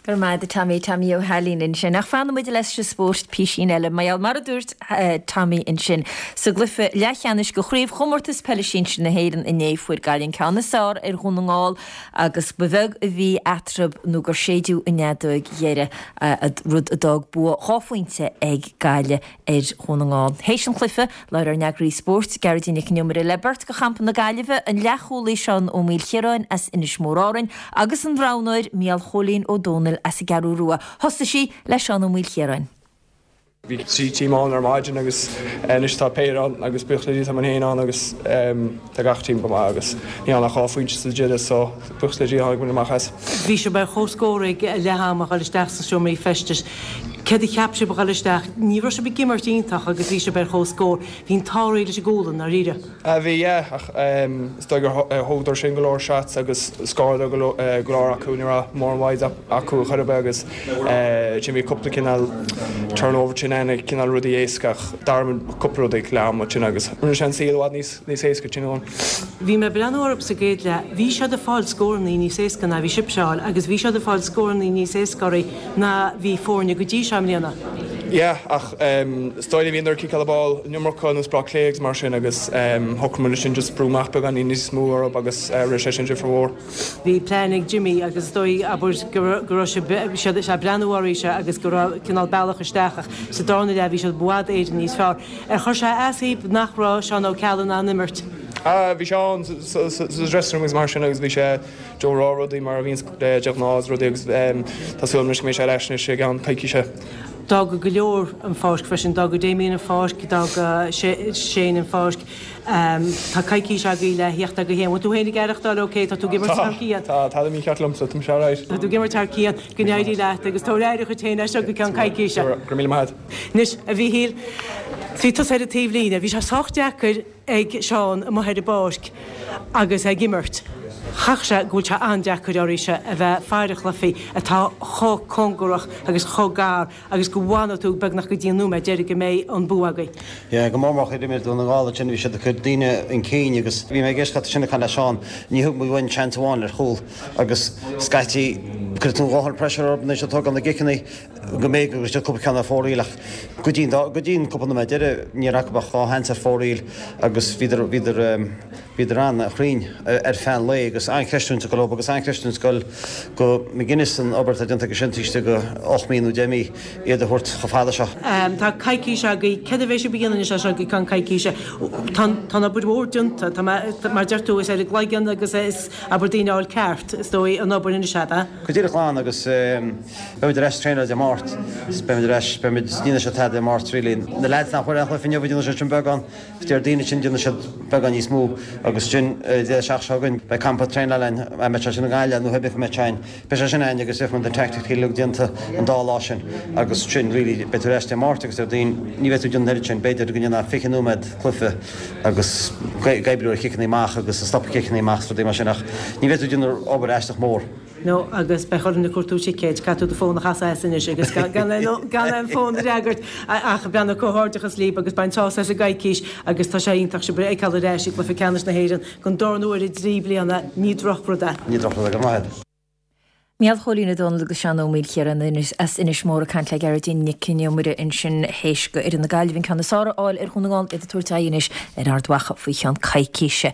Go raibh maith agat a Tommy, Tommy Ó hAilín ansin. Ach fanfaidh muid leis an spórt písín eile mar gheall mar a dúirt Tommy ansin, sa gcluiche leathcheannais de Chraobhchomórtas Peile Sinsir na hÉireann inné fuair Gaillimh an ceann is fearr ar Dhún na nGall agus ba bheag a bhí eatarthu nó gur séideadh an fheadóig dheiridh, rud a d'fhág bua 2 phointe ag Gaillimh ar Dhún na nGall. Théis an chluiche, labhair ár n-eagraí spóirt, Gearóidín Nic an Iomaire, le beirt de champa na Gaillimhe, an leathchúlaí Seán Ó Maoilchiaráin as Inis Mór Árainn agus an roghnóir Mícheál Chóilín Ó Dónaill as an gCeathrú Rua. Thosaigh sí le Seán Ó Maoilchiaráin. Bhí 3 team ann ar maidin agus anois tá péire ann agus buíochas le Dia tá muid féin ann agus tá gach team go maith agus ní ann ach 2 phointe sa deireadh so buíochas le Dia tháinig muid amach as. Bhí sibh ar chomhscór ag leath ama ag dul isteach sna seomraí feistis. Céard a cheap sibh ag dul isteach? Ní raibh sibh ag imirt iontach agus bhí sibh ar chomhscór. Bhí an t-ádh réidh leis an gcúl i ndáiríre. Bhí, yeah, ach is dóigh gur thógadar sin go leor shots agus scóráladar go leor acu. Ní raibh mórán wides acu chor ar bith agus ansin bhí cúpla cineál turnover sin ann, cineál rudaí éasca ach d'athraigh muid cúpla rud ag leath ama ansin agus rinne sé an saol i bhfad níos níos éasca sin ann. Bhí mé ag breathnú orthu sa gcéad leath. Bhí siad ag fáil scórannaí níos éasca ná bhí sibhse a fháil agus bhí siad ag fáil scórannaí níos éasca oraibh ná bhí foirne go dtí seo i mbliana. Yeah, ach is dóigh liom bhíodar ag ciceáil an ball an iomarca ar nós Bleá Cliath agus mar sin agus shocraigh muid ansin just brú amach beagáinín níos mó orthu agus rinne sé sin difear mhór. Bhí plean ag Jimmy agus is dóigh, abair, go raibh siad ag breathnú oraibhse agus go raibh cineál bealach isteach ach sa darna leath bhí siad i bhfad Éireann níos fearr. Ar chuir sé as daoibh nach raibh Seán Ó Ceallaigh in ann imirt? Bhí Seán sa dressing room agus mar sin agus bhí sé ag rá rudaí mar a bhíonns de ghnáth agus rudaí agus tá súil agam anois go mbeidh sé ar ais anois i gceann coicíse. D'fhága go leor an pháirc freisin, d'fhága Damien an pháirc, d'fhága Shane an pháirc. Tá coicís agaibh le theacht agaibh féin. Bhfuil tú féin ag aireachtáil ok? Tá tú ag imirt thar cionn? Tá, tá, tá mícheart liomsa, tá mise alright. Tá tú ag imirt thar cionn, go n-éirí leat agus tabhair aire dhuit féin as seo go ceann coicíse. Go raibh míle maith agat. Anois, a Mhíchíl, bhí tusa ar an taobhlíne. Bhí sé sách deacair ag Seán amuigh ar an bpáirc agus é ag imirt. Chaithfeadh sé go bhfuil sé an-deacair oraibhse a bheith ag faire cluichí atá chomh cóngarach agus chomh gar agus go bhfanfaidh tú beagnach go dtí an nóiméad deiridh go mbeidh an bua agaibh. Yeah, go mór mór chuid imir Dún na nGall ansin, bhí siad ag cur daoine chun cinn agus bhí mé ag éisteacht leat ansin ag caint le Seán, ní thug muid uainn seans amháin ar chúl agus scaití cuireann tú a dhóthain pressure orthu anois ag tógáil na gciceanna go mbeidh go raibh cúpla ceann ar fóraoil ach go dtí go dtí an cúpla nóiméad deiridh ní raibh acu ach dhá sheans ar fóraoil agus bhíodar bhíodar bhíodar an-chruinn ar feadh an lae agus an-chreistiúint ag dul leo agus an-chreistiúint ag dul go McGuinness an obair atá déanta aige sin taobh istigh de 8 mí nó 10 mí iad a thabhairt chomh fada seo. Tá coicís agaibh, céard a bheidh sibh a dhéanamh anois as seo go ceann coicíse? Tá an obair mhór déanta, tá mé, mar deir tú, is ar an gcloigeann agus is abair daoine a fháil ceart, is dóigh, an obair anois, ab ea? Go díreach glan agus beimid ar ais ag traenáil Dé Máirt is beimid ar ais, beimid, ní dhéanfaidh siad tada Dé Máirt really. Na leaids nach bhfuair aon chluiche inniu, déanfaidh siad sin beagán. Déardaoin ansin déanfaidh siad beagán níos mó agus ansin Dé seachtain seo chugainn beidh campa traenála ann, an mbeidh sé sin i nGaillimh nó cibé cá mbeidh sé ann, beidh sé sin ann agus déanfaidh muid na tactics uilig déanta an dá lá sin agus ansin really beidh tú ar ais Dé Máirt agus Déardaoin, ní bheidh tú ag déanamh an oiread sin, b'fhéidir go ndéanfá 20 nóiméad cluiche agus ag oibriú ar chiceanna amach agus ag stopadh ciceanna amach is rudaí mar sin ach ní bheidh tú ag déanamh obair aisteach mór. No agus beidh orainn ag cuartú ticéid, caithfidh tú do fón a chasadh as anois agus gan aon fón a fhreagairt ach beannacht comhghairdeachas libh agus bain sásamh as an gcoicís agus tá sé iontach sibh a fheiceáil ar ais i gcluiche ceannais na hÉireann don darna huair i dtrí bliana, ní drochrud é. Ní drochrud é, go raibh maith agat. Mícheál Chóilín Ó Dónaill agus Seán Ó Maoilchiaráin as Inis Mór ag caint le Gearóidín Nic an Iomaire ansin théis do fhoireann na Gaillimhe an ceann is fearr a fháil ar Dhún na nGall, iad ag tabhairt aghaidh anois ar Ard Mhacha faoi cheann coicíse.